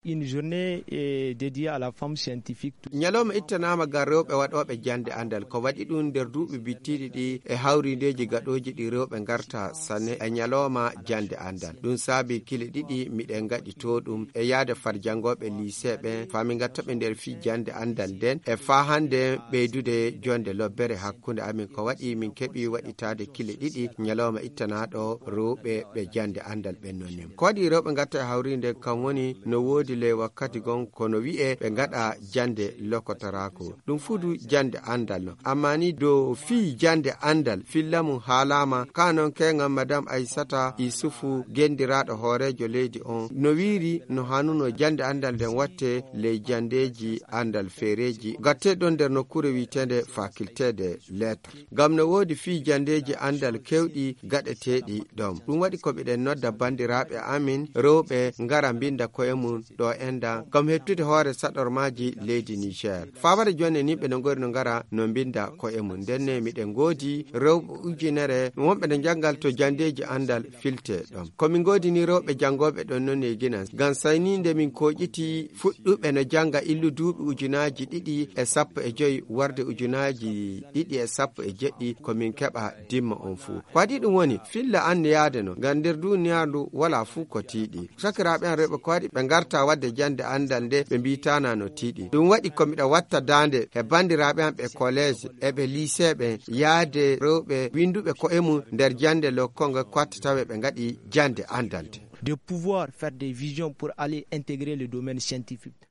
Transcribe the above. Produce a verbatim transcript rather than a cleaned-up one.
Une journée est dédiée à la femme scientifique. Ñalawma ittanaama ngam rewɓe waɗooɓe jannde anndal. Ko waɗi ɗum nder duuɓi bittiiɗi ɗi e hawriindeeji gaɗooji ɗi rewɓe ngarta sane e ñalawma jannde anndal. Ɗum saabi kile ɗiɗi miɗen ngaɗi to ɗum e yaade far janngooɓe lycée ɓen, faa min ngatta ɓe nder fii jannde anndal nden e faa hannde ɓeydude jonde lobbere hakkunde amin. Ko waɗi min keɓi waɗitaade kile ɗiɗi ñalawma ittanaaɗo rewɓe ɓe jannde anndal ɓen non ni. Ko waɗi rewɓe ngatta e hawriinde kam woni no woodi ley wakkati gon kono wi'e ɓe ngaɗa jannde lokotoraaku. Ɗum fudu jannde anndal non. Amma ni dow fii jannde anndal, filla mum haalaama, ka non keŋan Madame Aissata Issoufou, gendiraaɗo hooreejo leydi on, no wiiri no hanuno jannde anndal nden watte ley janndeeji anndal feereeji. Gatte ɗon nder nokkuure wi'eteende Faculté des Lettres. Ngam no woodi fii janndeeji anndal kewɗi gaɗeteeɗi ɗon. Ɗum waɗi ko miɗen nodda banndiraaɓe amin rewɓe ngara mbinnda ko'e mum ɗo enda ngam hettude hoore saɗormaaji leydi Niger. Faabare jonne ni ɓe no ngori no ngara no mbinnda ko'e mum. Ndenne miɗen ngoodi rewɓe ujunere wonɓe no njanngal to janndeeji anndal filte ɗon. Ko min ngoodi ni rewɓe janngooɓe ɗon non e Ginan. Ngam sayni nde min kooƴiti fuɗɗuɓe no jannga illu duuɓi ujunaaji ɗiɗi e sappo e joy warde ujunaaji ɗiɗi e sappo e jeɗɗi ko min keɓa dimma on fuu. Ko waɗi ɗum woni filla anniyaade no ngam nder duuniyaa ndu walaa fuu ko tiiɗi. Sakiraaɓe an rewɓe ko waɗi ɓe ngarta waɗde jannde anndal nde ɓe mbiitaana no tiiɗi. Ɗum waɗi ko miɗa watta daande e banndiraaɓe an ɓe collège e ɓe lycée ɓen yaade rewɓe winnduɓe ko'e mum nder jannde lokkongo ko watta tawe ɓe ngaɗi jannde anndal nde. De pouvoir faire des visions pour aller intégrer le domaine scientifique.